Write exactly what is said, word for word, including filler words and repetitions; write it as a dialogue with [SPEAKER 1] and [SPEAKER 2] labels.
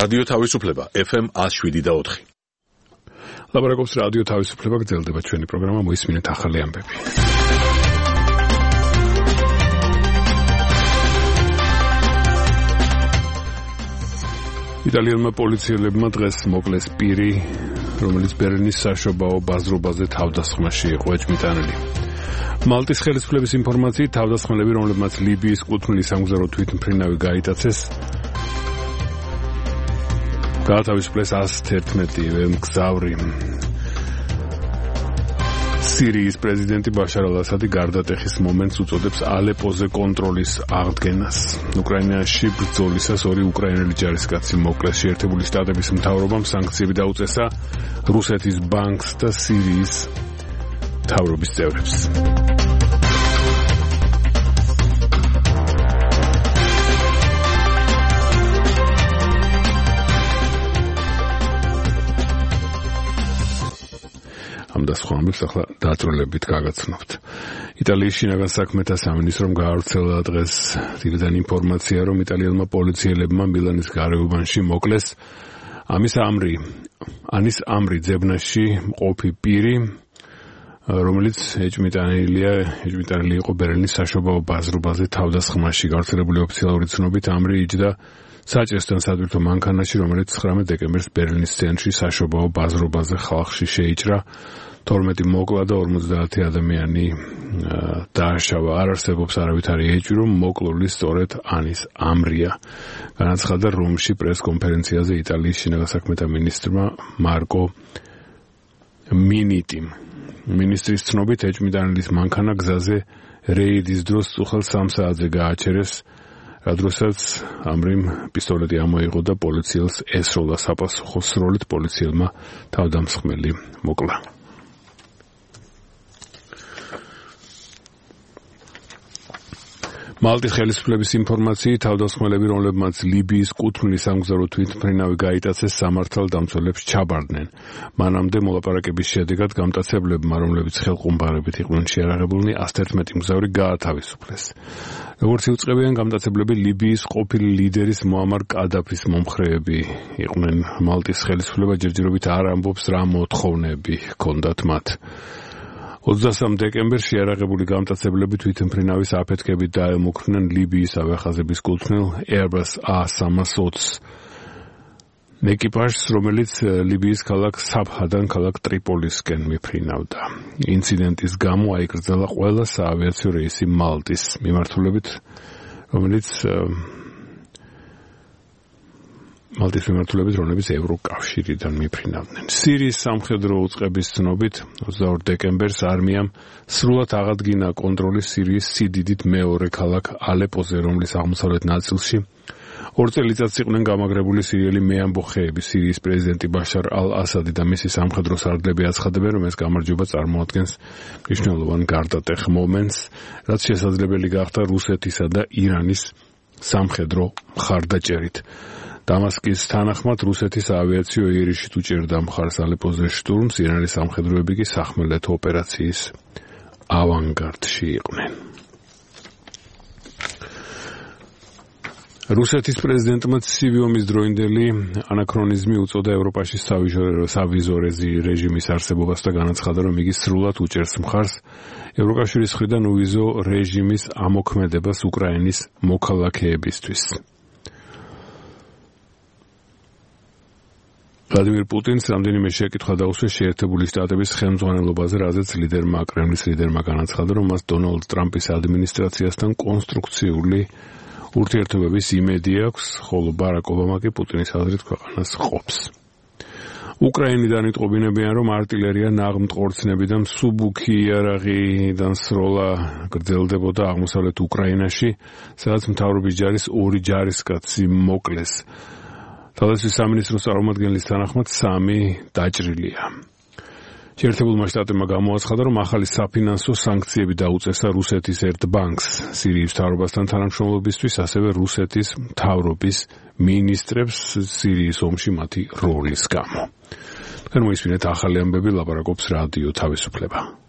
[SPEAKER 1] რადიო თავისუფლება F M one oh seven და four.
[SPEAKER 2] ლაბორატორიის რადიო თავისუფლება გრძელდება ჩვენი პროგრამა მოისმინეთ ახალი ამბები. იტალიელმა პოლიციელებმა დღეს მოკლეს პირი, რომელიც ბერლინის საშობაო ბაზრობაზე თავდასხმაში იყო ეჭვმიტანილი. მალტის ხელისუფლების ინფორმაციით თავდასხმელები, რომლებმაც ლიბიის კუთვნილი სამგზავრო თვითმფრინავი გაიტაცეს, გაათავისუფლეს one eleven მგზავრი. სირიის პრეზიდენტი ბაშარ ალ-ასადი გარდატეხის მომენტს უწოდებს ალეპოზე კონტროლის აღდგენას. უკრაინაში ბრძოლისას ორი უკრაინელი ჯარისკაცი მოკლეს. შეერთებული შტატების მთავრობამ სანქციები დაუწესა რუსეთის ბანკს და სირიის მთავრობის წევრებს. ამ და სხვა ამბებს ახლა დაწვრილებით გაგაცნობთ. იტალიის შინაგან საქმეთა სამინისტრომ გაავრცელა დღეს თბილისიდან ინფორმაცია, რომ იტალიელმა პოლიციელებმა მილანის გარეუბანში მოკლეს ამის ამრი, ანის ამრი ძებნაში მყოფი პირი, რომელიც ეჭვმიტანილია, ეჭვმიტანილი იყო ბერლინის საშობაო ბაზრობაზე თავდასხმაში. გავრცელებული ოფიციალური ცნობით ამრი იჯდა საჭესთან სადვირთო მანქანაში, რომელიც ცხრამეტ დეკემბერს ბერლინის ცენტრში საშობაო ბაზრობაზე ხალხში შეიჭრა. თორმეტი მოკლა და ორმოცდაათი ადამიანი დააშავა. არ არსებობს არავითარი ეჭვი, რომ მოკლული სწორედ ანის ამრია. განაცხადა რომში პრეს-კონფერენციაზე იტალიის შინაგან საქმეთა მინისტრმა მარკო მინიტიმ. მინისტრის ცნობით ეჭვმიტანილის მანქანა გზაზე რეიდის დროს წუხელ სამ საათზე გააჩერეს, რა დროსაც ამრიმ პისტოლეტი ამოიღო და პოლიციელს ესროლა. საპასუხო სროლით პოლიციელმა თავდამსხმელი მოკლა. მალტის ხელისუფლების ინფორმაციით თავდასხმელები, რომლებმაც ლიბიის კუთვნილი სამგზავრო თვითმფრინავი გაიტაცეს, სამართალდამცველებს ჩაბარდნენ. მანამდე მოლაპარაკების შედეგად გამტაცებლებმა, რომლებიც ხელყუმბარებით იყვნენ შეარაღებულნი, one eleven მგზავრი გაათავისუფლეს. როგორც იუწყებიან გამტაცებლები, ლიბიის ყოფილი ლიდერის მოამარ კადაფის მომხრეები იყვნენ. მალტის ხელისუფლება ჯერჯერობით არ ამბობს, რა მოთხოვნები ჰქონდათ მათ. ოცდასამ დეკემბერს შეარაღებული გამტაცებლები თვითმფრინავის აფეთქებით დაემუქრნენ ლიბიის ავიახაზების კუთვნილ Airbus A three twenty ეკიპაჟს, რომელიც ლიბიის ქალაქ საბჰადან ქალაქ ტრიპოლისკენ მიფრინავდა. ინციდენტის გამო აიკრძალა ყველა საავიაციო რეისი მალტის მიმართულებით, რომელიც მალტის მიმართულებით, რომლებიც ევროკავშირიდან მიფრინავდნენ. სირიის სამხედრო უწყების ცნობით ოცდაორ დეკემბერს არმიამ სრულად აღადგინა კონტროლი სირიის სიდიდით მეორე ქალაქ ალეპოზე, რომლის აღმოსავლეთ ნაწილში ორ წელიწადს იყვნენ გამაგრებული სირიელი მეამბოხეები. სირიის პრეზიდენტი ბაშარ ალ-ასადი და მისი სამხედრო სარდლები აცხადებენ, რომ ეს გამარჯვება წარმოადგენს მნიშვნელოვან გარდატეხ მომენტს, რაც შესაძლებელი გახდა რუსეთისა და ირანის სამხედრო მხარდაჭერით. დამასკის თანახმად რუსეთის ავიაციო იერიშით უჭერდა მხარს ალეპოზე შტურმს, ირანის სამხედროები კი სახმელეთო ოპერაციის ავანგარდში იყვნენ. რუსეთის პრეზიდენტმა ცივი ომის დროინდელი ანაქრონიზმი უწოდა ევროპაში სავიზო რეჟიმის არსებობას და განაცხადა, რომ იგი სრულად უჭერს მხარს ევროკავშირის მხრიდან უვიზო რეჟიმის ამოქმედებას უკრაინის მოქალაქეებისთვის. ვლადიმირ პუტინს რამდენიმე შეკითხვა დაუსვეს შეერთებული შტატების ხელმძღვანელობაზე, რაზეც ლიდერმა, კრემლის ლიდერმა განაცხადა, რომ მას დონალდ ტრამპის ადმინისტრაციასთან კონსტრუქციული ურთიერთობების იმედი აქვს, ხოლო ბარაკ ობამა კი პუტინის აზრით ქვეყანას ყოფს. უკრაინიდან იტყობინებიან, რომ არტილერია, ნაღმტყორცნები და მსუბუქი იარაღიდან სროლა გრძელდებოდა აღმოსავლეთ უკრაინაში, სადაც მთავრობის ჯარის ორი ჯარისკაცი მოკლეს. თავდაცვის სამინისტროს წარმომადგენლის თანახმად სამი დაჭრილია. შეერთებულმა შტატებმა გამოაცხადა, რომ ახალი საფინანსო სანქციები დაუწესა რუსეთის ერთ ბანკს სირიის მთავრობასთან თანამშრომლობისთვის, ასევე რუსეთის მთავრობის მინისტრებს სირიის ომში მათი როლის გამო. თქვენ მოისმინეთ ახალი ამბები, ლაპარაკობს რადიო თავისუფლება.